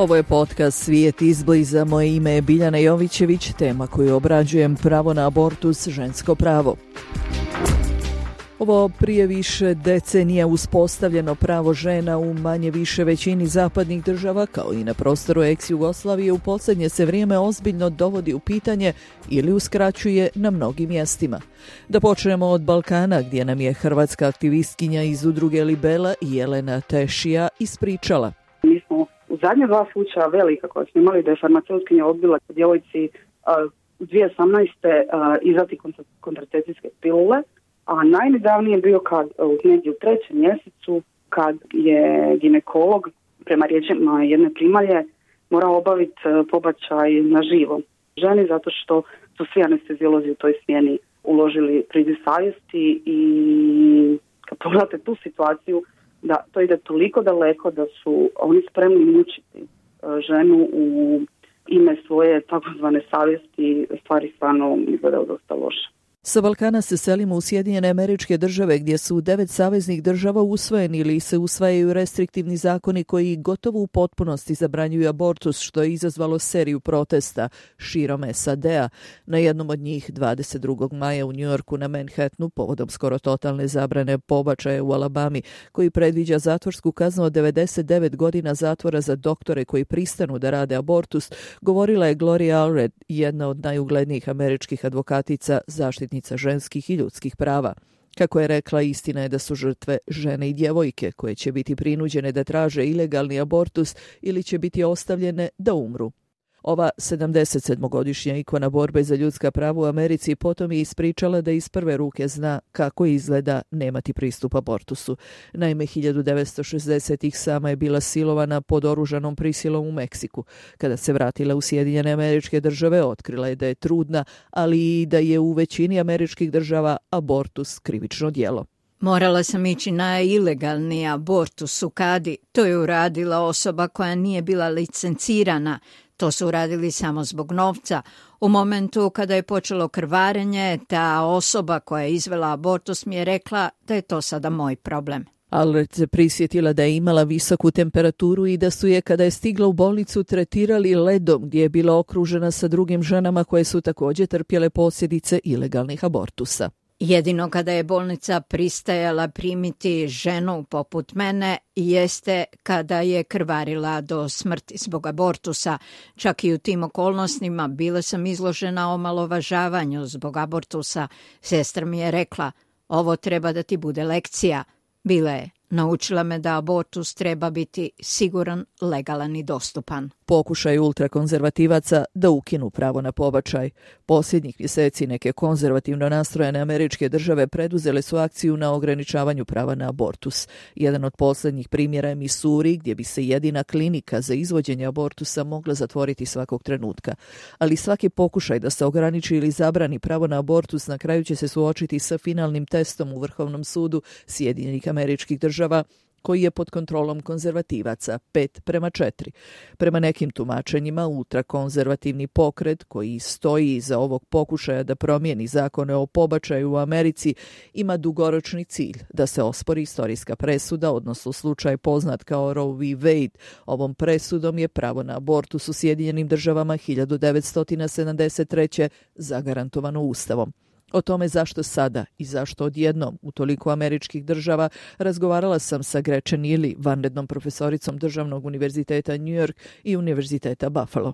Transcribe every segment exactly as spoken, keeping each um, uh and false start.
Ovo je podcast Svijet izbliza. Moje ime je Biljana Jovićević. Tema koju obrađujem: pravo na abortus, žensko pravo. Ovo prije više decenija uspostavljeno pravo žena u manje više većini zapadnih država, kao i na prostoru ex-Jugoslavije, u posljednje se vrijeme ozbiljno dovodi u pitanje ili uskraćuje na mnogim mjestima. Da počnemo od Balkana, gdje nam je hrvatska aktivistkinja iz udruge Libela Jelena Tešija ispričala. Mi smo u zadnje dva slučaja velika koja smo imali da je farmaceutkinja odbila djevojci uh, u dvije tisuće osamnaeste. Uh, izdati kontracepcijske pilule, a najnedavnije je bio kad u negdje u trećem mjesecu kad je ginekolog prema riječima jedne primalje morao obaviti pobačaj na živo ženi zato što su svi anesteziolozi u toj smjeni uložili priziv savjesti. I kad pogledate tu situaciju, da to ide toliko daleko da su oni spremni mučiti ženu u ime svoje takozvane savjesti, stvari stvarno izgledaju dosta loše. Sa Balkana se selimo u Sjedinjene Američke Države, gdje su u devet saveznih država usvojeni ili se usvajaju restriktivni zakoni koji gotovo u potpunosti zabranjuju abortus, što je izazvalo seriju protesta širom S A D-a. Na jednom od njih dvadeset drugog maja u Njujorku na Manhattanu, povodom skoro totalne zabrane pobačaja u Alabami, koji predviđa zatvorsku kaznu od devedeset devet godina zatvora za doktore koji pristanu da rade abortus, govorila je Gloria Allred, jedna od najuglednijih američkih advokatica, zaštitnica ženskih i ljudskih prava. Kako je rekla, istina je da su žrtve žene i djevojke koje će biti prinuđene da traže ilegalni abortus ili će biti ostavljene da umru. Ova sedamdesetsedmogodišnja ikona borbe za ljudska prava u Americi potom je ispričala da iz prve ruke zna kako izgleda nemati pristup abortusu. Naime, hiljadu devetsto šezdesetih sama je bila silovana pod oružanom prisilom u Meksiku. Kada se vratila u Sjedinjene Američke Države, otkrila je da je trudna, ali i da je u većini američkih država abortus krivično djelo. Morala sam ići na ilegalni abortus u Kadi. To je uradila osoba koja nije bila licencirana. To su uradili samo zbog novca. U momentu kada je počelo krvarenje, ta osoba koja je izvela abortus mi je rekla da je to sada moj problem. Allred se prisjetila da je imala visoku temperaturu i da su je, kada je stigla u bolnicu, tretirali ledom, gdje je bila okružena sa drugim ženama koje su također trpjele posljedice ilegalnih abortusa. Jedino kada je bolnica pristajala primiti ženu poput mene jeste kada je krvarila do smrti zbog abortusa. Čak i u tim okolnostima bila sam izložena omalovažavanju zbog abortusa. Sestra mi je rekla, ovo treba da ti bude lekcija. Bila je. Naučila me da abortus treba biti siguran, legalan i dostupan. Pokušaj ultrakonzervativaca da ukinu pravo na pobačaj. Posljednjih mjeseci neke konzervativno nastrojene američke države preduzele su akciju na ograničavanju prava na abortus. Jedan od posljednjih primjera je Missouri, gdje bi se jedina klinika za izvođenje abortusa mogla zatvoriti svakog trenutka. Ali svaki pokušaj da se ograniči ili zabrani pravo na abortus na kraju će se suočiti sa finalnim testom u Vrhovnom sudu Sjedinjenih Američkih Država, koji je pod kontrolom konzervativaca, pet prema četiri. Prema nekim tumačenjima, ultrakonzervativni pokret koji stoji iza ovog pokušaja da promijeni zakone o pobačaju u Americi ima dugoročni cilj da se ospori istorijska presuda, odnosno slučaj poznat kao Roe v. Wade. Ovom presudom je pravo na abortus u Sjedinjenim Državama hiljadu devetsto sedamdeset treće zagarantovano Ustavom. O tome zašto sada i zašto odjednom u toliko američkih država razgovarala sam sa Gretchen Ily, vanrednom profesoricom Državnog univerziteta New York i Univerziteta Buffalo.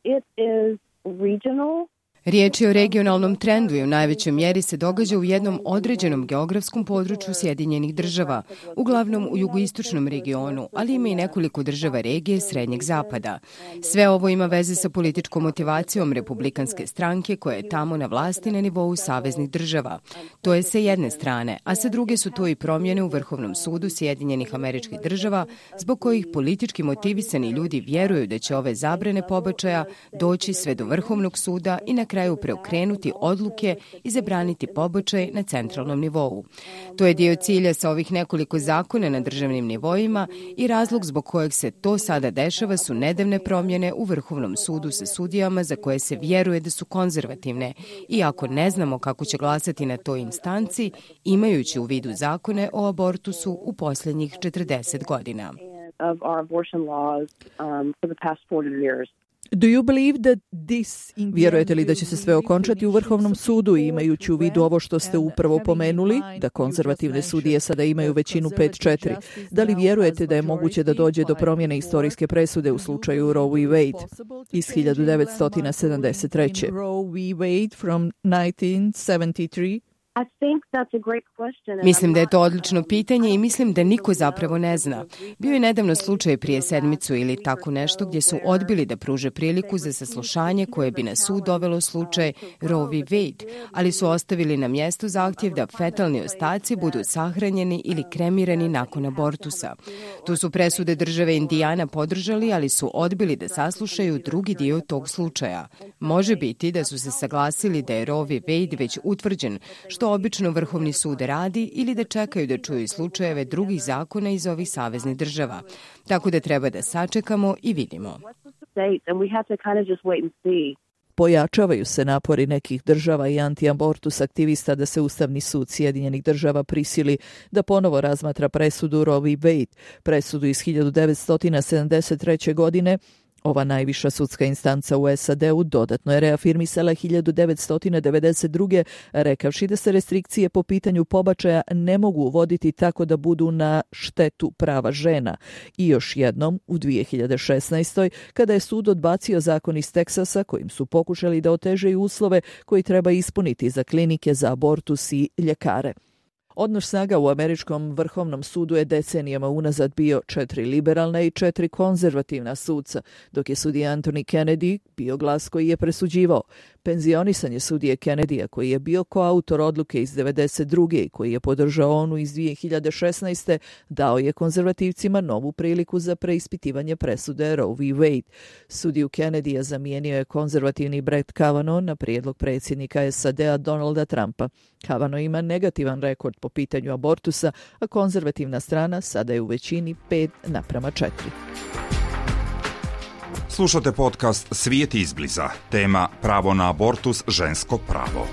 It is regional. Riječ je o regionalnom trendu i u najvećoj mjeri se događa u jednom određenom geografskom području Sjedinjenih Država, uglavnom u jugoistočnom regionu, ali ima i nekoliko država regije Srednjeg zapada. Sve ovo ima veze sa političkom motivacijom republikanske stranke koja je tamo na vlasti na nivou saveznih država. To je sa jedne strane, a sa druge su to i promjene u Vrhovnom sudu Sjedinjenih Američkih Država, zbog kojih politički motivisani ljudi vjeruju da će ove zabrane pobačaja doći sve do Vrhovnog suda i na kraju preokrenuti odluke i zabraniti pobačaj na centralnom nivou. To je dio cilja sa ovih nekoliko zakona na državnim nivoima i razlog zbog kojeg se to sada dešava su nedavne promjene u Vrhovnom sudu sa sudijama za koje se vjeruje da su konzervativne, iako ne znamo kako će glasati na toj instanci, imajući u vidu zakone o abortusu u posljednjih četrdeset godina. of our abortion laws um, for the past forty years. Do you believe that this... Vjerujete li da će se sve okončati u Vrhovnom sudu, imajući u vidu ovo što ste upravo pomenuli, da konzervativne sudije sada imaju većinu pet četiri? Da li vjerujete da je moguće da dođe do promjene istorijske presude u slučaju Roe v. Wade iz hiljadu devetsto sedamdeset treće? Roe v. Wade from nineteen seventy-three. Mislim da je to odlično pitanje i mislim da niko zapravo ne zna. Bio je nedavno slučaj prije sedmicu ili tako nešto gdje su odbili da pruže priliku za saslušanje koje bi na sud dovelo slučaj Roe v. Wade, ali su ostavili na mjestu zahtjev da fetalni ostaci budu sahranjeni ili kremirani nakon abortusa. Tu su presude države Indijana podržali, ali su odbili da saslušaju drugi dio tog slučaja. Može biti da su se saglasili da je Roe v. Wade već utvrđen, što obično Vrhovni sud radi, ili da čekaju da čuju slučajeve drugih zakona iz ovih saveznih država. Tako da treba da sačekamo i vidimo. Pojačavaju se napori nekih država i anti-abortus aktivista da se Ustavni sud Sjedinjenih država prisili da ponovo razmatra presudu Roe v. Wade, presudu iz hiljadu devetsto sedamdeset treće. godine. Ova najviša sudska instanca u S A D-u dodatno je reafirmisala hiljadu devetsto devedeset druge. rekavši da se restrikcije po pitanju pobačaja ne mogu uvoditi tako da budu na štetu prava žena. I još jednom u dvije hiljade šesnaestoj. kada je sud odbacio zakon iz Teksasa kojim su pokušali da otežaju uslove koji treba ispuniti za klinike za abortus i ljekare. Odnos snaga u američkom Vrhovnom sudu je decenijama unazad bio četiri liberalna i četiri konzervativna sudca, dok je sudija Anthony Kennedy bio glas koji je presuđivao. Penzionisanje sudije Kennedya, koji je bio koautor odluke iz devedeset druge i koji je podržao onu iz dvije hiljade šesnaeste. dao je konzervativcima novu priliku za preispitivanje presude Roe v. Wade. Sudiju Kennedya zamijenio je konzervativni Brett Kavanaugh na prijedlog predsjednika S A D-a Donalda Trumpa. Kavanaugh ima negativan rekord po pitanju abortusa, a konzervativna strana sada je u većini pet naprama četiri. Slušate podcast Svijet izbliza. Tema pravo na abortus, žensko pravo.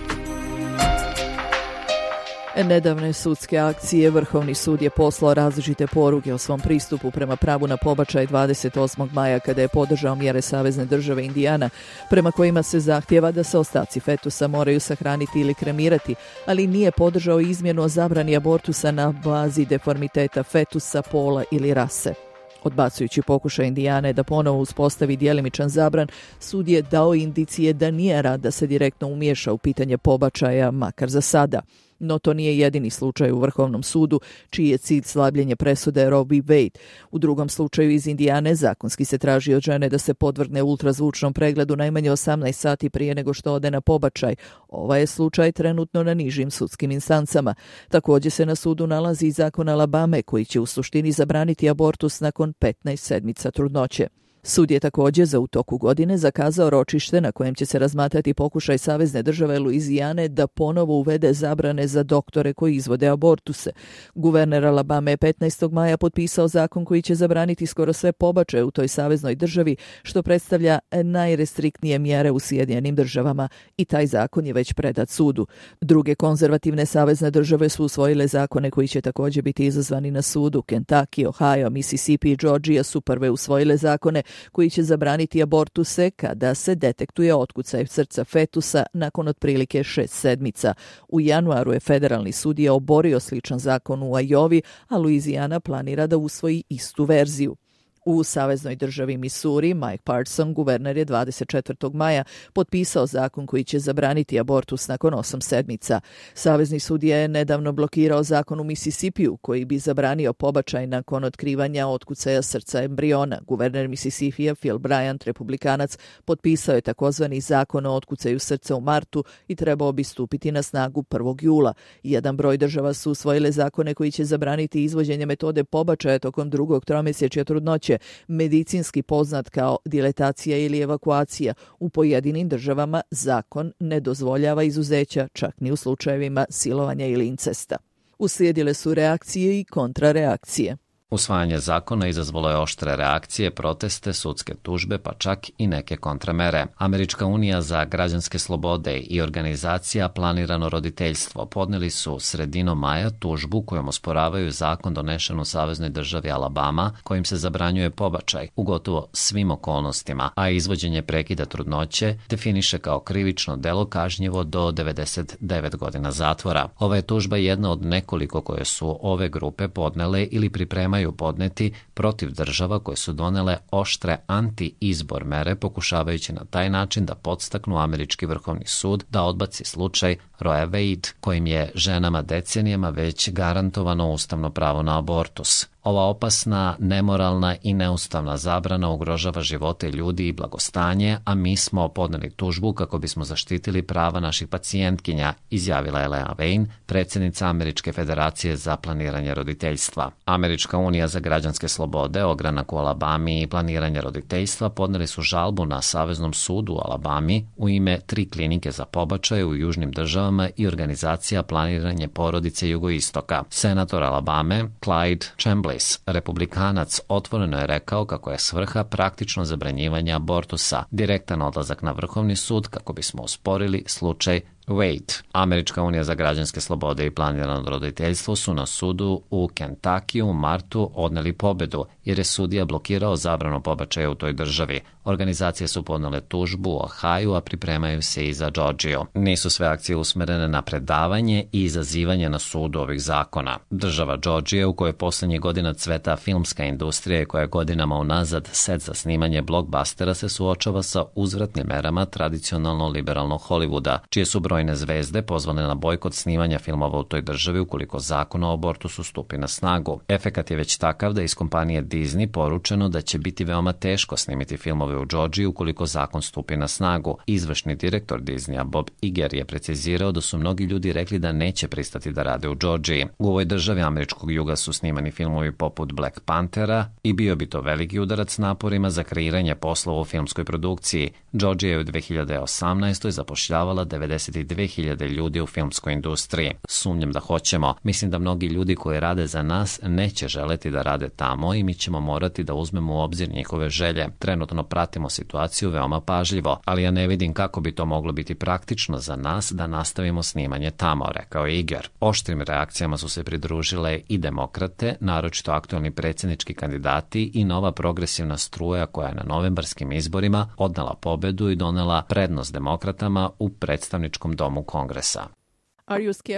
Nedavne sudske akcije Vrhovni sud je poslao različite poruke o svom pristupu prema pravu na pobačaj dvadeset osmog maja kada je podržao mjere savezne države Indijana, prema kojima se zahtjeva da se ostaci fetusa moraju sahraniti ili kremirati, ali nije podržao izmjenu o zabrani abortusa na bazi deformiteta fetusa, pola ili rase. Odbacujući pokušaj Indijane da ponovo uspostavi djelimičan zabran, sud je dao indicije da nije rad da se direktno umiješa u pitanje pobačaja, makar za sada. No to nije jedini slučaj u Vrhovnom sudu, čiji je cilj slabljenje presude Roe v. Wade. U drugom slučaju iz Indijane zakonski se traži od žene da se podvrgne ultrazvučnom pregledu najmanje osamnaest sati prije nego što ode na pobačaj. Ovaj je slučaj trenutno na nižim sudskim instancama. Također se na sudu nalazi i zakon Alabame koji će u suštini zabraniti abortus nakon petnaest sedmica trudnoće. Sud je također za u toku godine zakazao ročište na kojem će se razmatrati pokušaj savezne države Luizijane da ponovo uvede zabrane za doktore koji izvode abortuse. Guverner Alabame je petnaestog maja potpisao zakon koji će zabraniti skoro sve pobačaje u toj saveznoj državi, što predstavlja najrestriktnije mjere u Sjedinjenim državama, i taj zakon je već predat sudu. Druge konzervativne savezne države su usvojile zakone koji će također biti izazvani na sudu. Kentucky, Ohio, Mississippi i Georgia su prve usvojile zakone koji će zabraniti abortuse kada se detektuje otkucaj srca fetusa nakon otprilike šest sedmica. U januaru je federalni sudija oborio sličan zakon u Ajovi, a Luizijana planira da usvoji istu verziju. U saveznoj državi Missouri, Mike Parson, guverner, je dvadeset četvrtog maja potpisao zakon koji će zabraniti abortus nakon osam sedmica. Savezni sudija je nedavno blokirao zakon u Mississippiju koji bi zabranio pobačaj nakon otkrivanja otkucaja srca embriona. Guverner Mississippija Phil Bryant, republikanac, potpisao je takozvani zakon o otkucaju srca u martu i trebao bi stupiti na snagu prvog jula. Jedan broj država su usvojile zakone koji će zabraniti izvođenje metode pobačaja tokom drugog tromjesečja trudnoće, medicinski poznat kao diletacija ili evakuacija. U pojedinim državama zakon ne dozvoljava izuzeća, čak ni u slučajevima silovanja ili incesta. Uslijedile su reakcije i kontrareakcije. Usvajanje zakona izazvalo je oštre reakcije, proteste, sudske tužbe, pa čak i neke kontramere. Američka unija za građanske slobode i organizacija Planirano roditeljstvo podneli su sredinom maja tužbu kojom osporavaju zakon donešen u saveznoj državi Alabama kojim se zabranjuje pobačaj u gotovo svim okolnostima, a izvođenje prekida trudnoće definiše kao krivično delo kažnjivo do devedeset devet godina zatvora. Ova je tužba jedna od nekoliko koje su ove grupe podnele ili pripremaju podneti protiv država koje su donele oštre anti-izbor mere pokušavajući na taj način da podstaknu američki vrhovni sud da odbaci slučaj Roe Wade kojim je ženama decenijama već garantovano ustavno pravo na abortus. Ova opasna, nemoralna i neustavna zabrana ugrožava živote ljudi i blagostanje, a mi smo podneli tužbu kako bismo zaštitili prava naših pacijentkinja, izjavila je Leah Wayne, predsjednica Američke federacije za planiranje roditeljstva. Američka unija za građanske slobode, ogranak u Alabami i planiranje roditeljstva podneli su žalbu na Saveznom sudu u Alabami u ime tri klinike za pobačaje u južnim državama i organizacija Planiranje porodice jugoistoka. Senator Alabame Clyde Chambliss, republikanac, otvoreno je rekao kako je svrha praktično zabranjivanje abortusa, direktan odlazak na vrhovni sud kako bismo osporili slučaj Wade. Američka unija za građanske slobode i planirano roditeljstvo su na sudu u Kentucky u martu odneli pobedu jer je sudija blokirao zabranu pobačaja u toj državi. Organizacije su podnele tužbu u Ohio, a pripremaju se i za Georgiju. Nisu sve akcije usmerene na predavanje i izazivanje na sudu ovih zakona. Država Georgija, u kojoj posljednjih godina cveta filmska industrija i koja je godinama unazad set za snimanje blockbustera, se suočava sa uzvratnim merama tradicionalno liberalnog Hollywooda, čije su brojne zvezde pozvane na bojkot snimanja filmova u toj državi ukoliko zakon o abortusu stupi na snagu. Efekat je već takav da iz kompanije Disney poručeno da će biti veoma teško snimiti filmove u Georgiji ukoliko zakon stupi na snagu. Izvršni direktor Disneya Bob Iger je precizirao da su mnogi ljudi rekli da neće pristati da rade u Georgiji. U ovoj državi američkog juga su snimani filmovi poput Black Panthera i bio bi to veliki udarac naporima za kreiranje poslova u filmskoj produkciji. Georgija je u dve hiljade osamnaestoj zapošljavala devedeset dve hiljade ljudi u filmskoj industriji. Sumnjam da hoćemo. Mislim da mnogi ljudi koji rade za nas neće želeti da rade tamo i mi ćemo morati da uzmemo u obzir njihove želje. Trenutno pratimo situaciju veoma pažljivo, ali ja ne vidim kako bi to moglo biti praktično za nas da nastavimo snimanje tamo, rekao je Iger. Oštrim reakcijama su se pridružile i demokrate, naročito aktualni predsjednički kandidati i nova progresivna struja koja je na novembarskim izborima odnela pobedu i donela prednost demokratama u predstavničkom domu Kongresa.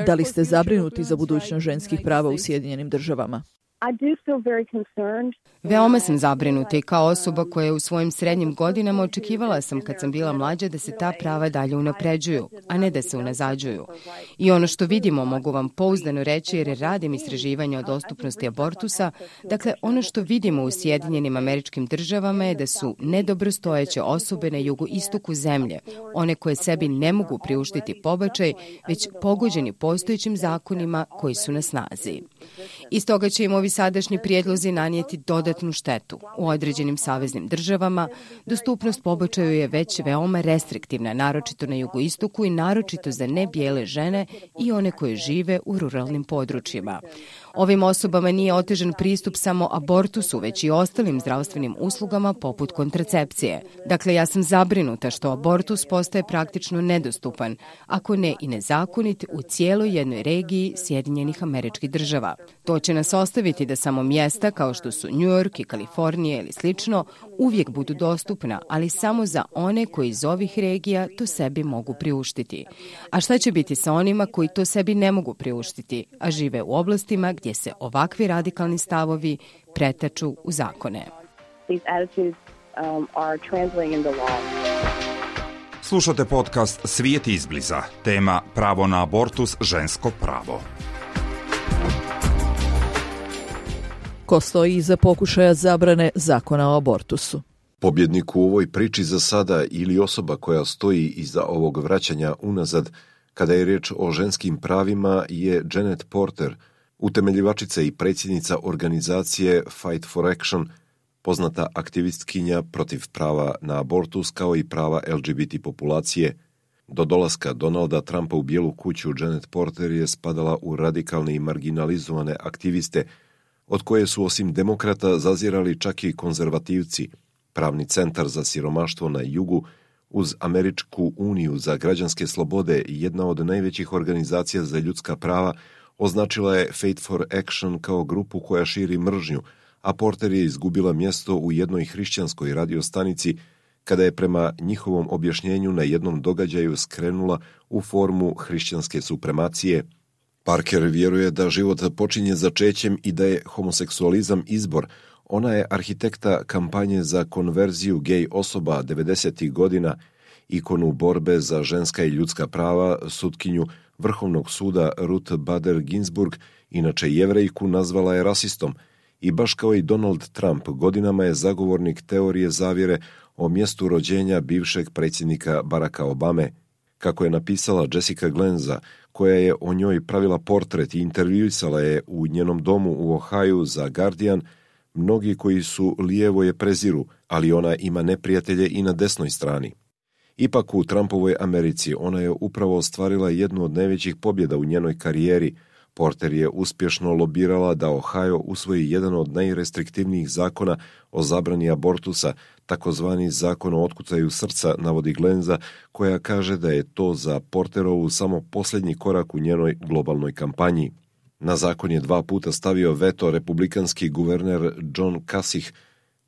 Da li ste zabrinuti za budućnost ženskih prava u Sjedinjenim državama? Veoma sam zabrinuta i kao osoba koja je u svojim srednjim godinama očekivala sam kad sam bila mlađa da se ta prava dalje unapređuju, a ne da se unazađuju. I ono što vidimo mogu vam pouzdano reći jer radim istraživanja o dostupnosti abortusa, dakle ono što vidimo u Sjedinjenim Američkim Državama je da su nedobrostojeće osobe na jugoistoku zemlje, one koje sebi ne mogu priuštiti pobačaj, već pogođeni postojećim zakonima koji su na snazi. Iz toga će im ovi sadašnji prijedlozi nanijeti dodatnu štetu. U određenim saveznim državama dostupnost pobačaju je već veoma restriktivna, naročito na jugoistoku i naročito za nebijele žene i one koje žive u ruralnim područjima. Ovim osobama nije otežan pristup samo abortusu, već i ostalim zdravstvenim uslugama poput kontracepcije. Dakle, ja sam zabrinuta što abortus postaje praktično nedostupan, ako ne i nezakonit, u cijeloj jednoj regiji Sjedinjenih Američkih Država. To će nas ostaviti da samo mjesta kao što su New York i Kalifornija ili slično uvijek budu dostupna, ali samo za one koji iz ovih regija to sebi mogu priuštiti. A šta će biti sa onima koji to sebi ne mogu priuštiti, a žive u oblastima gdje se ovakvi radikalni stavovi pretaču u zakone? Slušate podcast Svijet izbliza. Tema pravo na abortus, žensko pravo. Ko stoji iza pokušaja zabrane zakona o abortusu? Pobjednik u ovoj priči za sada ili osoba koja stoji iza ovog vraćanja unazad kada je riječ o ženskim pravima je Janet Porter, utemeljivačica i predsjednica organizacije Fight for Action, poznata aktivistkinja protiv prava na abortus kao i prava L G B T populacije. Do dolaska Donalda Trumpa u Bijelu kuću Janet Porter je spadala u radikalne i marginalizovane aktiviste, od koje su osim demokrata zazirali čak i konzervativci. Pravni centar za siromaštvo na jugu, uz Američku uniju za građanske slobode i jedna od najvećih organizacija za ljudska prava, označila je Faith for Action kao grupu koja širi mržnju, a Porter je izgubila mjesto u jednoj hrišćanskoj radiostanici kada je prema njihovom objašnjenju na jednom događaju skrenula u formu hrišćanske supremacije. Parker vjeruje da život počinje začećem i da je homoseksualizam izbor. Ona je arhitekta kampanje za konverziju gej osoba devedesetih godina, ikonu borbe za ženska i ljudska prava, sutkinju Vrhovnog suda Ruth Bader Ginsburg, inače Jevrejku, nazvala je rasistom i baš kao i Donald Trump godinama je zagovornik teorije zavjere o mjestu rođenja bivšeg predsjednika Baracka Obame. Kako je napisala Jessica Glenza, koja je o njoj pravila portret i intervjuisala je u njenom domu u Ohaju za Guardian, mnogi koji su lijevo je preziru, ali ona ima neprijatelje i na desnoj strani. Ipak u Trumpovoj Americi ona je upravo ostvarila jednu od najvećih pobjeda u njenoj karijeri. Porter je uspješno lobirala da Ohio usvoji jedan od najrestriktivnijih zakona o zabrani abortusa, takozvani zakon o otkucaju srca, navodi Glenza, koja kaže da je to za Porterovu samo posljednji korak u njenoj globalnoj kampanji. Na zakon je dva puta stavio veto republikanski guverner John Kasich,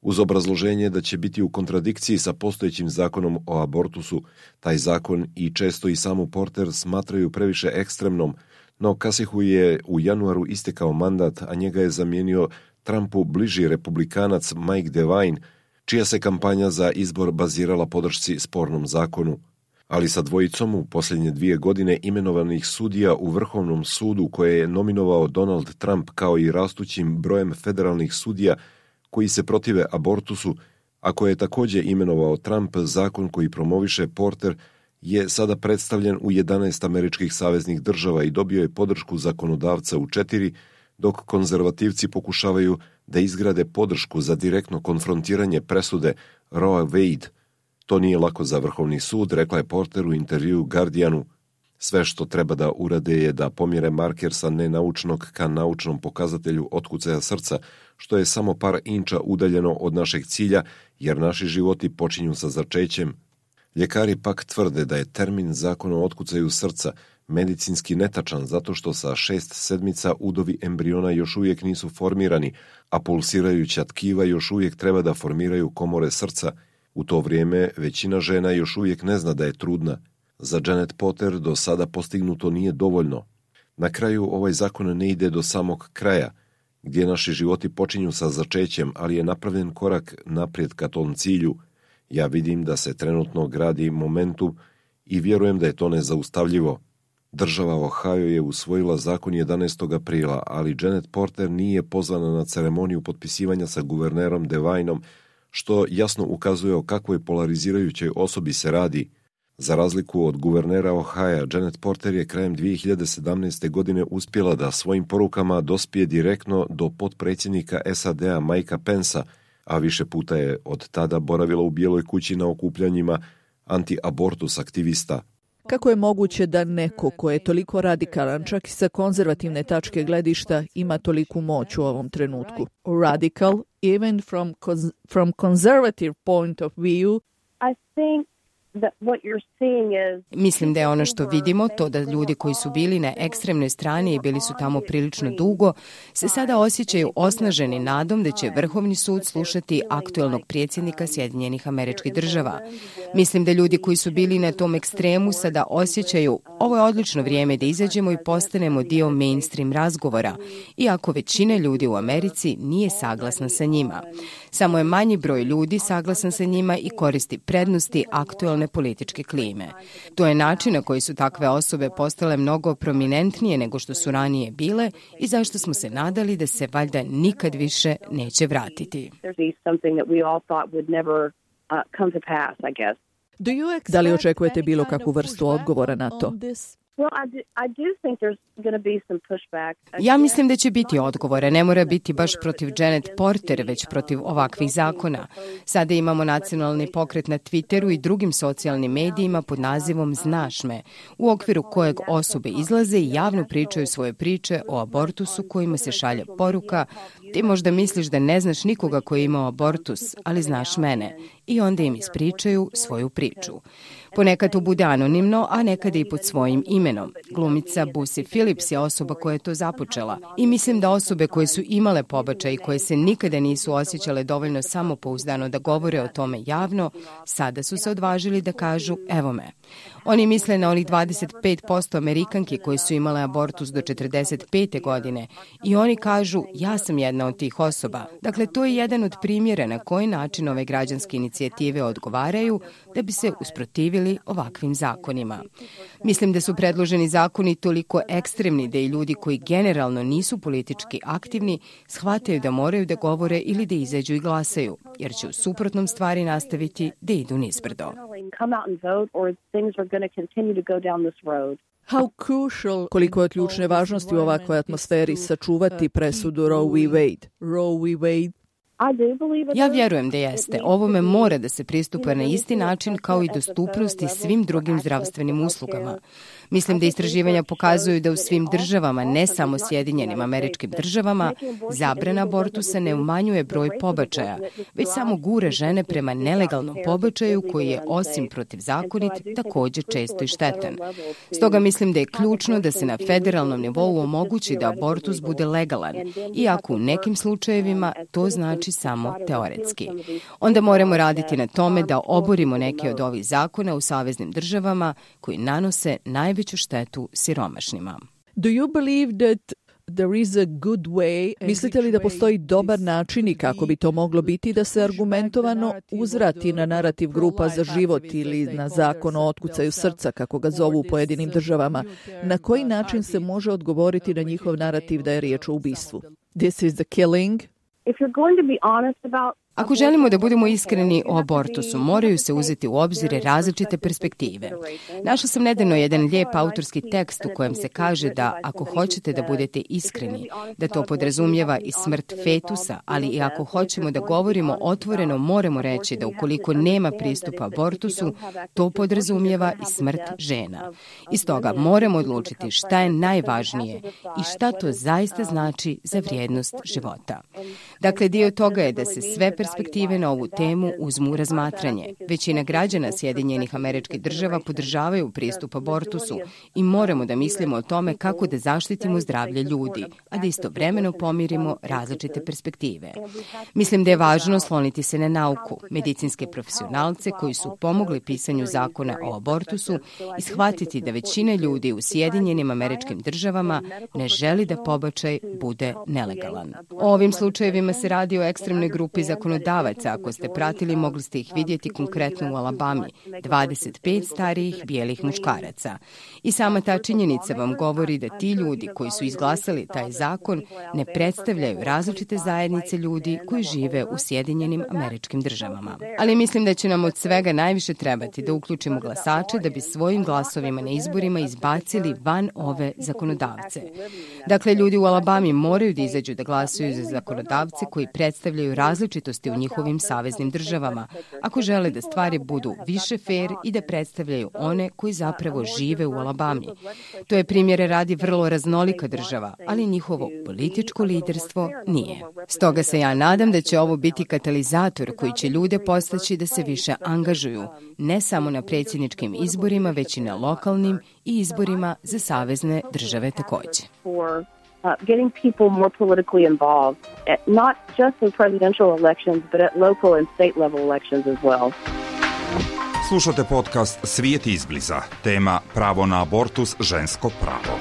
uz obrazloženje da će biti u kontradikciji sa postojećim zakonom o abortusu. Taj zakon i često i samu Porter smatraju previše ekstremnom, no Kasihu je u januaru istekao mandat, a njega je zamijenio Trumpu bliži republikanac Mike DeWine, čija se kampanja za izbor bazirala podršci spornom zakonu. Ali sa dvojicom u posljednje dvije godine imenovanih sudija u Vrhovnom sudu koje je nominovao Donald Trump, kao i rastućim brojem federalnih sudija koji se protive abortusu, a koje je također imenovao Trump, zakon koji promoviše Porter je sada predstavljen u jedanaest američkih saveznih država i dobio je podršku zakonodavca u četiri, dok konzervativci pokušavaju da izgrade podršku za direktno konfrontiranje presude Roe Wade. To nije lako za Vrhovni sud, rekla je Porter u intervjuu Guardianu. Sve što treba da urade je da pomjere marker sa nenaučnog ka naučnom pokazatelju otkucaja srca, što je samo par inča udaljeno od našeg cilja, jer naši životi počinju sa začećem. Ljekari pak tvrde da je termin zakona o otkucaju srca medicinski netačan zato što sa šest sedmica udovi embriona još uvijek nisu formirani, a pulsirajuća tkiva još uvijek treba da formiraju komore srca. U to vrijeme većina žena još uvijek ne zna da je trudna. Za Janet Porter do sada postignuto nije dovoljno. Na kraju ovaj zakon ne ide do samog kraja, gdje naši životi počinju sa začećem, ali je napravljen korak naprijed ka tom cilju. Ja vidim da se trenutno gradi momentum i vjerujem da je to nezaustavljivo. Država Ohio je usvojila zakon jedanaestog aprila, ali Janet Porter nije pozvana na ceremoniju potpisivanja sa guvernerom DeWineom, što jasno ukazuje o kakvoj polarizirajućoj osobi se radi. Za razliku od guvernera Ohaja, Janet Porter je krajem dvije hiljade sedamnaeste. godine uspjela da svojim porukama dospije direktno do potpredsjednika S A D-a Mikea Pensa, a više puta je od tada boravila u Bijeloj kući na okupljanjima anti-abortus aktivista. Kako je moguće da neko ko je toliko radikalan, čak i sa konzervativne tačke gledišta, ima toliku moć u ovom trenutku? Radical, even from, from conservative point of view. I think that what you're seeing is... Mislim da je ono što vidimo, to da ljudi koji su bili na ekstremnoj strani i bili su tamo prilično dugo, se sada osjećaju osnaženi nadom da će Vrhovni sud slušati aktuelnog predsjednika Sjedinjenih Američkih Država. Mislim da ljudi koji su bili na tom ekstremu sada osjećaju ovo je odlično vrijeme da izađemo i postanemo dio mainstream razgovora, iako većina ljudi u Americi nije saglasna sa njima. Samo je manji broj ljudi saglasan sa njima i koristi prednosti aktuelne političke klime. To je način na koji su takve osobe postale mnogo prominentnije nego što su ranije bile i zašto smo se nadali da se valjda nikad više neće vratiti. Da li očekujete bilo kakvu vrstu odgovora na to? Ja mislim da će biti odgovore. Ne mora biti baš protiv Janet Porter, već protiv ovakvih zakona. Sada imamo nacionalni pokret na Twitteru i drugim socijalnim medijima pod nazivom Znaš me, u okviru kojeg osobe izlaze i javno pričaju svoje priče o abortusu kojima se šalje poruka ti možda misliš da ne znaš nikoga koji je imao abortus, ali znaš mene. I onda im ispričaju svoju priču. Ponekad to bude anonimno, a nekada i pod svojim imenom. Glumica Busy Phillips je osoba koja je to započela. I mislim da osobe koje su imale pobačaj i koje se nikada nisu osjećale dovoljno samopouzdano da govore o tome javno, sada su se odvažili da kažu evo me. Oni misle na onih dvadeset pet posto Amerikanki koji su imale abortus do četrdeset pete godine i oni kažu ja sam jedna od tih osoba. Dakle, to je jedan od primjera na koji način ove građanske inicijative odgovaraju da bi se usprotivili ovakvim zakonima. Mislim da su predloženi zakoni toliko ekstremni da i ljudi koji generalno nisu politički aktivni shvataju da moraju da govore ili da izađu i glasaju, jer će u suprotnom stvari nastaviti da idu nizbrdo. How crucial, koliko je od ključne važnosti u ovakvoj atmosferi sačuvati presudu Roe v. Wade. Roe v. Wade. Ja vjerujem da jeste. Ovome mora da se pristupa na isti način kao i dostupnosti svim drugim zdravstvenim uslugama. Mislim da istraživanja pokazuju da u svim državama, ne samo Sjedinjenim Američkim Državama, zabrana abortusa ne umanjuje broj pobačaja, već samo gura žene prema nelegalnom pobačaju koji je osim protivzakonit također često i štetan. Stoga mislim da je ključno da se na federalnom nivou omogući da abortus bude legalan, iako u nekim slučajevima to znači samo teoretski. Onda moramo raditi na tome da oborimo neke od ovih zakona u saveznim državama koji nanose najveću štetu siromašnima. Do you believe that there is a good way? Mislite li da postoji dobar način i kako bi to moglo biti da se argumentovano uzvrati na narativ grupa za život ili na zakon o otkucaju srca, kako ga zovu u pojedinim državama? Na koji način se može odgovoriti na njihov narativ da je riječ o ubistvu? This is the killing. Ako želimo da budemo iskreni o abortusu, moraju se uzeti u obzir različite perspektive. Našla sam nedavno jedan lijep autorski tekst u kojem se kaže da ako hoćete da budete iskreni, da to podrazumijeva i smrt fetusa, ali i ako hoćemo da govorimo otvoreno, moramo reći da ukoliko nema pristupa abortusu, to podrazumijeva i smrt žena. I stoga moramo odlučiti šta je najvažnije i šta to zaista znači za vrijednost života. Dakle, dio toga je da se sve perspektive na ovu temu uzmu u razmatranje. Većina građana Sjedinjenih Američkih Država podržavaju pristup abortusu i moramo da mislimo o tome kako da zaštitimo zdravlje ljudi, a da istovremeno pomirimo različite perspektive. Mislim da je važno sloniti se na nauku, medicinske profesionalce koji su pomogli pisanju zakona o abortusu i shvatiti da većina ljudi u Sjedinjenim Američkim Državama ne želi da pobačaj bude nelegalan. O ovim slučajevima se radi o ekstremnoj grupi zakonodavaca. Ako ste pratili, mogli ste ih vidjeti konkretno u Alabami, dvadeset pet starijih bijelih muškaraca. I sama ta činjenica vam govori da ti ljudi koji su izglasali taj zakon ne predstavljaju različite zajednice ljudi koji žive u Sjedinjenim Američkim Državama. Ali mislim da će nam od svega najviše trebati da uključimo glasače da bi svojim glasovima na izborima izbacili van ove zakonodavce. Dakle, ljudi u Alabami moraju da izađu da glasuju za zakonodavce koji predstavljaju različitosti u njihovim saveznim državama, ako žele da stvari budu više fair i da predstavljaju one koji zapravo žive u Alabami. To je primjere radi vrlo raznolika država, ali njihovo političko liderstvo nije. Stoga se ja nadam da će ovo biti katalizator koji će ljude postaći da se više angažuju, ne samo na predsjedničkim izborima, već i na lokalnim i izborima za savezne države također. Uh, getting people more politically involved, at, not just in presidential elections, but at local and state level elections as well. Slušate podcast Svijet izbliza. Tema pravo na abortus, žensko pravo.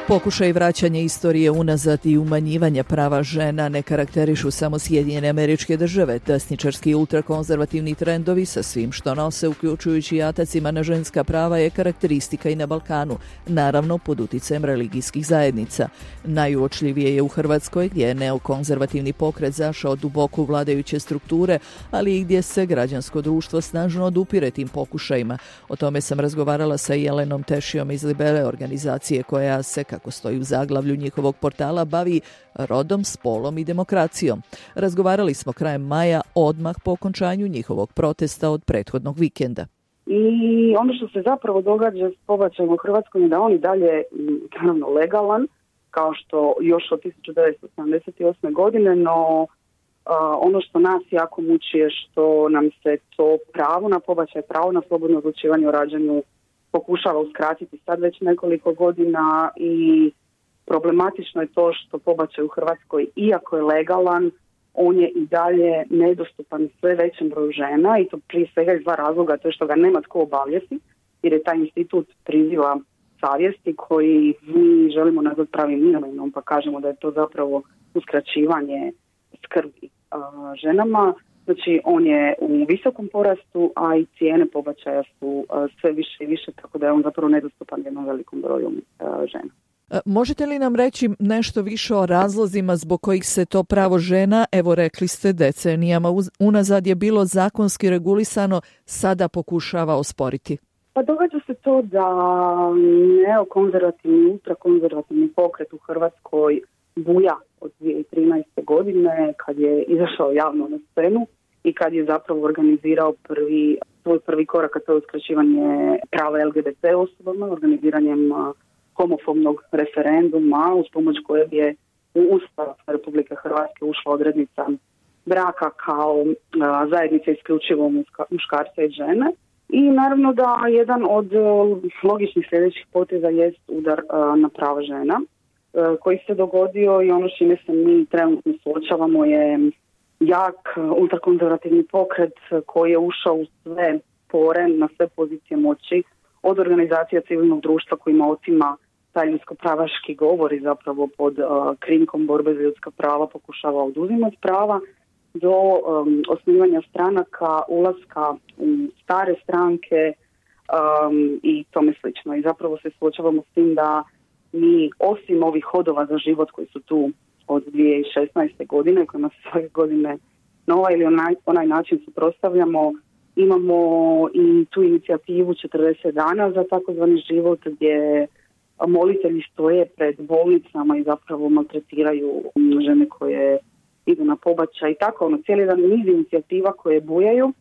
Pokušaj vraćanja istorije unazad i umanjivanja prava žena ne karakterišu samo Sjedinjene Američke Države. Desničarski i ultrakonzervativni trendovi sa svim što nose, uključujući atacima na ženska prava, je karakteristika i na Balkanu, naravno pod uticajem religijskih zajednica. Najuočljivije je u Hrvatskoj, gdje je neokonzervativni pokret zašao duboko u vladajuće strukture, ali i gdje se građansko društvo snažno odupire tim pokušajima. O tome sam razgovarala sa Jelenom Tešijom iz Libere, organizacije koja se, kako stoji u zaglavlju njihovog portala, bavi rodom, spolom i demokracijom. Razgovarali smo krajem maja, odmah po okončanju njihovog protesta od prethodnog vikenda. I ono što se zapravo događa s pobačajem u Hrvatskoj je da on i dalje, naravno, legalan, kao što još od tisuću devetsto sedamdeset osme. godine, no Uh, ono što nas jako muči je što nam se to pravo na pobačaj, pravo na slobodno odlučivanje o rađanju pokušava uskratiti sad već nekoliko godina i problematično je to što pobačaj u Hrvatskoj, iako je legalan, on je i dalje nedostupan sve većem broju žena i to prije svega iz dva razloga, to je što ga nema tko obavljati, jer je taj institut priziva savjesti koji mi želimo nazvati pravim imenom, pa kažemo da je to zapravo uskraćivanje skrbi a, ženama. Znači on je u visokom porastu, a i cijene pobačaja su a, sve više i više, tako da je on zapravo nedostupan jednom velikom broju a, žena. Možete li nam reći nešto više o razlozima zbog kojih se to pravo žena, evo rekli ste decenijama unazad je bilo zakonski regulisano, sada pokušava osporiti? Pa događa se to da neokonzervativni, ultrakonzervativni pokret u Hrvatskoj buja od dvije tisuće trinaeste. godine kad je izašao javno na scenu i kad je zapravo organizirao prvi, svoj prvi korak, a to je uskraćivanje prava L G B T osobama, organiziranjem homofobnog referenduma uz pomoć kojeg je u Ustav Republike Hrvatske ušla odrednica braka kao a, zajednice isključivo muškarca i žene. I naravno da jedan od logičnih sljedećih poteza jest udar a, na prava žena a, koji se dogodio i ono s čime se mi trenutno suočavamo je jak ultrakonzervativni pokret koji je ušao u sve pore, na sve pozicije moći, od organizacija civilnog društva kojima otima taj ljudsko-pravaški govor i zapravo pod uh, krinkom borbe za ljudska prava pokušava oduzimati prava, do um, osnivanja stranaka, ulaska u stare stranke um, i tome slično. I zapravo se suočavamo s tim da mi, osim ovih hodova za život koji su tu od dvije tisuće šesnaeste. godine, kojima se svake godine na ovaj ili onaj, onaj način suprotstavljamo, imamo i tu inicijativu četrdeset dana za takozvani život gdje molitelji stoje pred bolnicama i zapravo maltretiraju žene koje idu na pobačaj i tako, ono, cijeli jedan niz inicijativa koje bujaju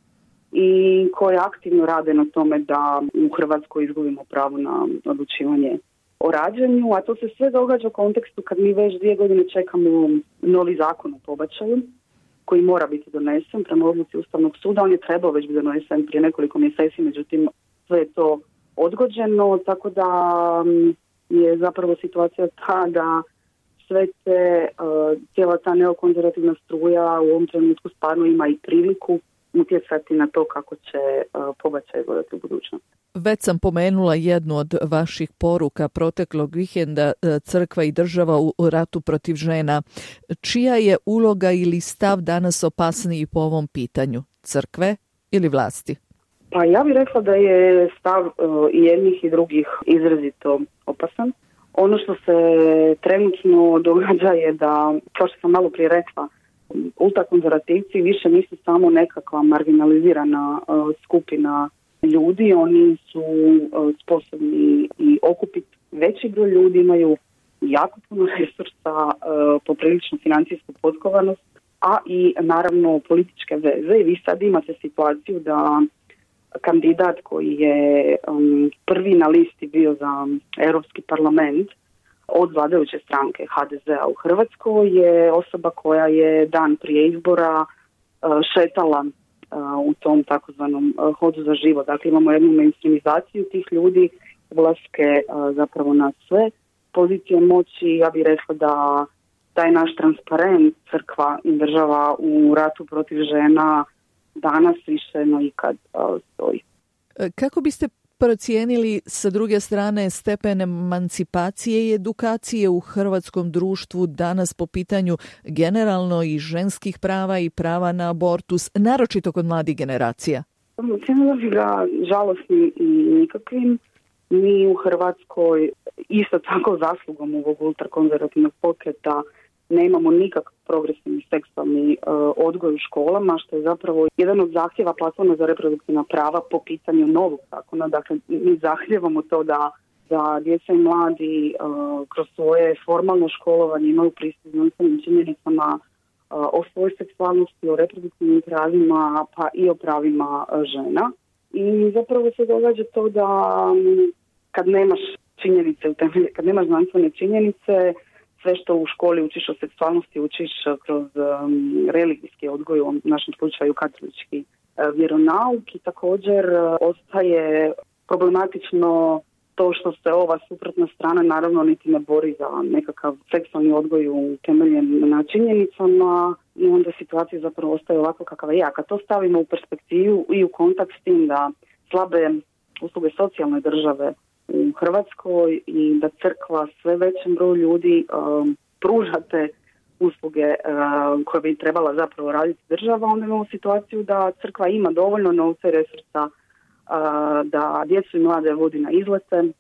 i koje aktivno rade na tome da u Hrvatskoj izgubimo pravo na odlučivanje o rađanju, a to se sve događa u kontekstu kad mi već dvije godine čekamo novi zakon o pobačaju koji mora biti donesen prema odluci Ustavnog suda. On je trebao već biti donesen prije nekoliko mjeseci, međutim sve je to odgođeno, tako da je zapravo situacija ta da sve te, uh, cijela ta neokonzervativna struja u ovom trenutku stvarno ima i priliku utjecati na to kako će uh, pobačaj izgledati u budućnosti. Već sam pomenula jednu od vaših poruka proteklog vikenda, crkva i država u ratu protiv žena. Čija je uloga ili stav danas opasniji po ovom pitanju? Crkve ili vlasti? Pa ja bih rekla da je stav uh, i jednih i drugih izrazito opasan. Ono što se trenutno događa je da, kao što sam malo prije rekla, ultrakonzervativci više nisu samo nekakva marginalizirana uh, skupina ljudi, oni su uh, sposobni i okupiti veći broj ljudi, imaju jako puno resursa, uh, popriličnu financijsku potkovanost, a i naravno političke veze. I vi sad imate situaciju da kandidat koji je um, prvi na listi bio za Europski parlament od vladajuće stranke H D Z-a u Hrvatskoj je osoba koja je dan prije izbora uh, šetala uh, u tom takozvanom uh, hodu za život. Dakle, imamo jednu mainstreamizaciju tih ljudi, ulaske uh, zapravo na sve pozicije moći. Ja bih rekla da taj naš transparent crkva i država u ratu protiv žena danas više no ikad uh, stoji. Kako biste procijenili sa druge strane stepen emancipacije i edukacije u hrvatskom društvu danas po pitanju generalno i ženskih prava i prava na abortus, naročito kod mladih generacija? Ocijenila bih ga žalosnim i nikakvim. Mi u Hrvatskoj isto tako zaslugom ovog ultrakonzervativnog pokreta nemamo nikakav progresivni seksualni uh, odgoj u školama, što je zapravo jedan od zahtjeva platforme za reproduktivna prava po pitanju novog zakona. Dakle, mi zahtjevamo to da, da djeca i mladi uh, kroz svoje formalno školovanje imaju pristup znanstvenim činjenicama uh, o svojoj seksualnosti, o reproduktivnim pravima, pa i o pravima uh, žena. I zapravo se događa to da um, kad nemaš činjenice u temelju, kad nemaš znanstvene činjenice, sve što u školi učiš o seksualnosti učiš kroz um, religijski odgoj, u našem slučaju katolički uh, vjeronauk, i također uh, ostaje problematično to što se ova suprotna strana naravno niti ne bori za nekakav seksualni odgoj utemeljen na činjenicama, i onda situacija zapravo ostaje ovako kakva je. A kad to stavimo u perspektivu i u kontakt s tim da slabe usluge socijalne države u Hrvatskoj i da crkva sve većem broju ljudi um, pruža te usluge um, koje bi trebala zapravo raditi država, onda imamo situaciju da crkva ima dovoljno novca i resursa uh, da djecu i mlade vodi na izlete, uh,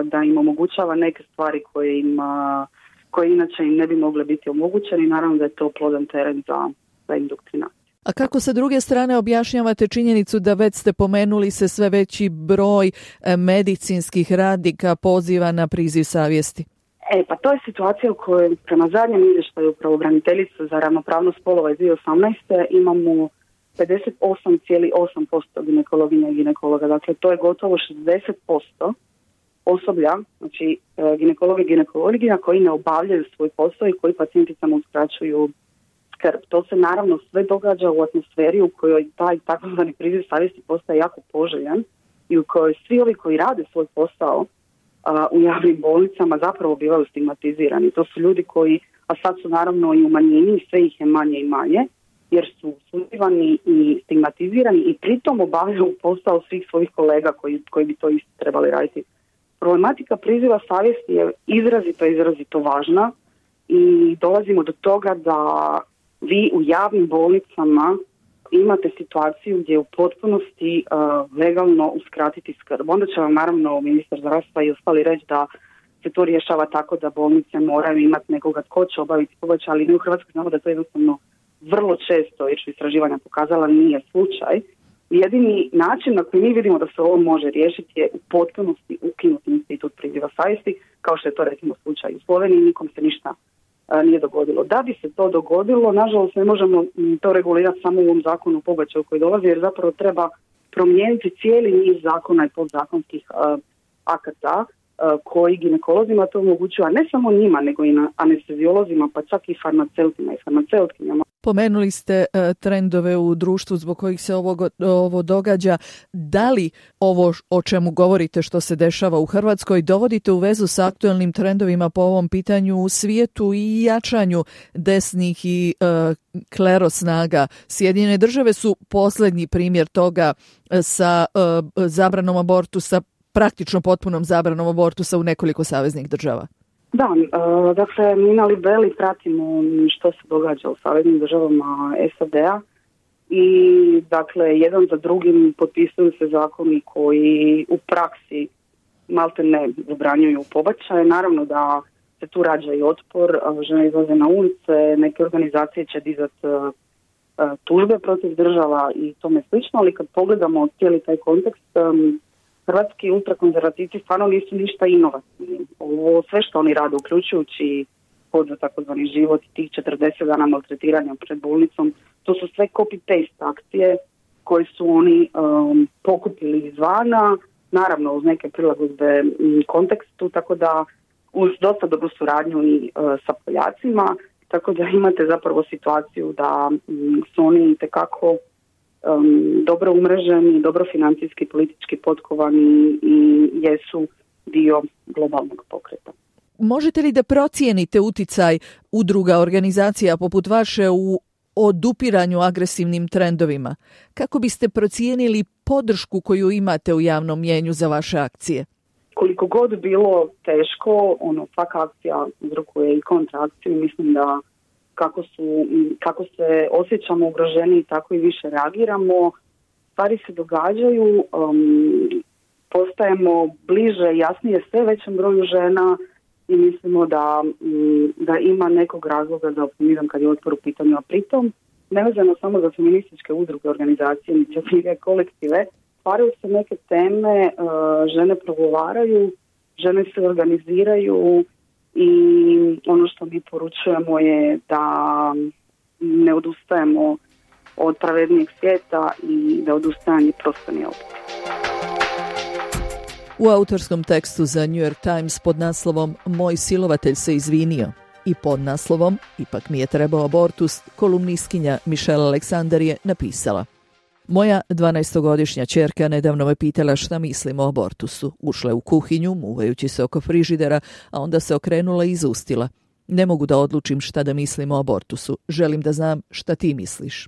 da im omogućava neke stvari koje im, uh, koje inače im ne bi mogle biti omogućene, i naravno da je to plodan teren za, za indoktrinaciju. A kako sa druge strane objašnjavate činjenicu da već ste pomenuli se sve veći broj medicinskih radnika poziva na priziv savjesti? E, pa to je situacija u kojoj prema zadnjem izvještaju pravobraniteljice za ravnopravnost spolova iz dvije tisuće osamnaeste. imamo pedeset osam zarez osam posto ginekologinja i ginekologa. Dakle, to je gotovo šezdeset posto osoblja, znači ginekologa i ginekologinja koji ne obavljaju svoj posao i koji pacijenticama uskraćuju skrb. To se naravno sve događa u atmosferi u kojoj taj takozvani priziv savjesti postaje jako poželjan i u kojoj svi ovi koji rade svoj posao a, u javnim bolnicama zapravo bivaju stigmatizirani. To su ljudi koji, a sad su naravno i u manjini, sve ih je manje i manje, jer su suzivani i stigmatizirani i pritom obavljaju posao svih svojih kolega koji, koji bi to isto trebali raditi. Problematika priziva savjesti je izrazito, izrazito važna i dolazimo do toga da vi u javnim bolnicama imate situaciju gdje u potpunosti uh, legalno uskratiti skrb. Onda će vam naravno ministar zdravstva i ostali reći da se to rješava tako da bolnice moraju imati nekoga tko će obaviti pobačaj, ali mi u Hrvatskoj znamo da to jednostavno vrlo često, jer su istraživanja pokazala, nije slučaj. Jedini način na koji mi vidimo da se ovo može riješiti je u potpunosti ukinuti institut priziva savjesti, kao što je to recimo slučaj u Sloveniji, nikom se ništa a, nije dogodilo. Da bi se to dogodilo, nažalost ne možemo m, to regulirati samo u ovom zakonu o pobačaju koji dolazi, jer zapravo treba promijeniti cijeli niz zakona i podzakonskih a, akata a, koji ginekolozima to omogućuju, a ne samo njima, nego i na anesteziolozima, pa čak i farmaceutima i farmaceutkinjama. Pomenuli ste uh, trendove u društvu zbog kojih se ovo, ovo događa. Da li ovo o čemu govorite što se dešava u Hrvatskoj dovodite u vezu sa aktuelnim trendovima po ovom pitanju u svijetu i jačanju desnih i uh, klero snaga? Sjedinjene države su posljednji primjer toga sa uh, zabranom abortusa, praktično potpunom zabranom abortusa u nekoliko saveznih država. Da, uh, dakle, mi na Libeli pratimo što se događa u saveznim državama S A D-a i, dakle, jedan za drugim potpisuju se zakoni koji u praksi malte ne zabranjuju pobačaje. Naravno da se tu rađa i otpor, žene izlaze na ulice, neke organizacije će dizati uh, tužbe protiv država i tome slično, ali kad pogledamo cijeli taj kontekst, um, hrvatski ultrakonzervativci stvarno nisu ništa inovativni. Ovo sve što oni rade, uključujući pod za takozvani život i tih četrdeset dana maltretiranja pred bolnicom, to su sve copy-paste akcije koje su oni um, pokupili izvana, naravno uz neke prilagodbe kontekstu, tako da uz dosta dobru suradnju i uh, sa Poljacima, tako da imate zapravo situaciju da um, su oni itekako Um, dobro umreženi, dobro financijski, politički potkovani i jesu dio globalnog pokreta. Možete li da procijenite uticaj udruga, organizacija poput vaše u odupiranju agresivnim trendovima? Kako biste procijenili podršku koju imate u javnom mnijenju za vaše akcije? Koliko god bilo teško, ono, svaka akcija uzrokuje i kontraakciju. Mislim da Kako, su, kako se osjećamo ugroženi, tako i više reagiramo. Stvari se događaju, um, postajemo bliže, jasnije sve većem broju žena i mislimo da, um, da ima nekog razloga za optimizam kad je otpor u pitanju. A pritom, nevezano samo za feminističke udruge, organizacije, inicijative, kolektive, stvaraju se neke teme, uh, žene progovaraju, žene se organiziraju, i ono što mi poručujemo je da ne odustajemo od pravednijeg svijeta i da odustajanje prosto nije opet. U autorskom tekstu za New York Times pod naslovom Moj silovatelj se izvinio I pod naslovom "Ipak mi je trebao abortus" kolumnistkinja Michelle Aleksandar je napisala: Moja dvanaestogodišnja ćerka nedavno me pitala šta mislim o abortusu. Ušla je u kuhinju, muvajući se oko frižidera, a onda se okrenula i izustila. Ne mogu da odlučim šta da mislim o abortusu. Želim da znam šta ti misliš.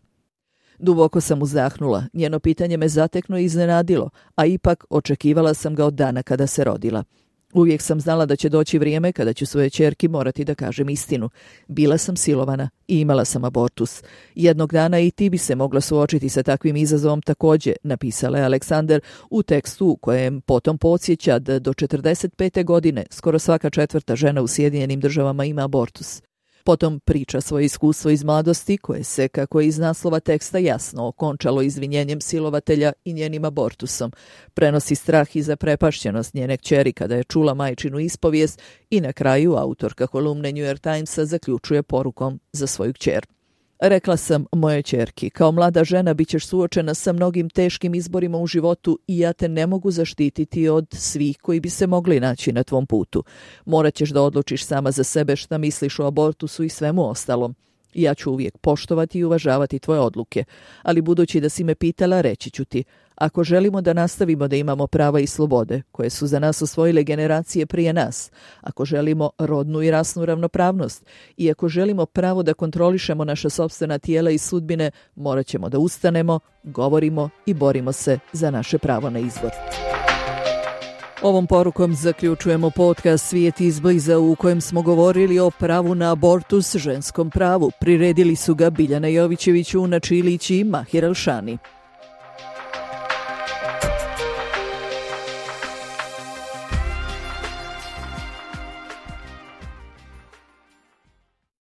Duboko sam uzdahnula. Njeno pitanje me zatekno i iznenadilo, a ipak očekivala sam ga od dana kada se rodila. Uvijek sam znala da će doći vrijeme kada ću svoje ćerki morati da kažem istinu. Bila sam silovana i imala sam abortus. Jednog dana i ti bi se mogla suočiti sa takvim izazovom također, napisala je Aleksandar u tekstu u kojem potom podsjeća da do četrdeset pete godine skoro svaka četvrta žena u Sjedinjenim državama ima abortus. Potom priča svoje iskustvo iz mladosti koje se, kako je iz naslova teksta jasno, okončalo izvinjenjem silovatelja i njenim abortusom. Prenosi strah i zaprepašćenost njene kćeri kada je čula majčinu ispovijest i na kraju autorka kolumne New York Timesa zaključuje porukom za svoju kćer. Rekla sam moje ćerki, kao mlada žena bit ćeš suočena sa mnogim teškim izborima u životu i ja te ne mogu zaštititi od svih koji bi se mogli naći na tvom putu. Morat ćeš da odlučiš sama za sebe šta misliš o abortusu i svemu ostalom. Ja ću uvijek poštovati i uvažavati tvoje odluke, ali budući da si me pitala, reći ću ti, ako želimo da nastavimo da imamo prava i slobode, koje su za nas osvojile generacije prije nas, ako želimo rodnu i rasnu ravnopravnost i ako želimo pravo da kontrolišemo naša sopstvena tijela i sudbine, morat ćemo da ustanemo, govorimo i borimo se za naše pravo na izbor. Ovom porukom zaključujemo podcast Svijet izbliza u kojem smo govorili o pravu na abortus, ženskom pravu. Priredili su ga Biljana Jovićević, Una Čilić i Mahir Alšani.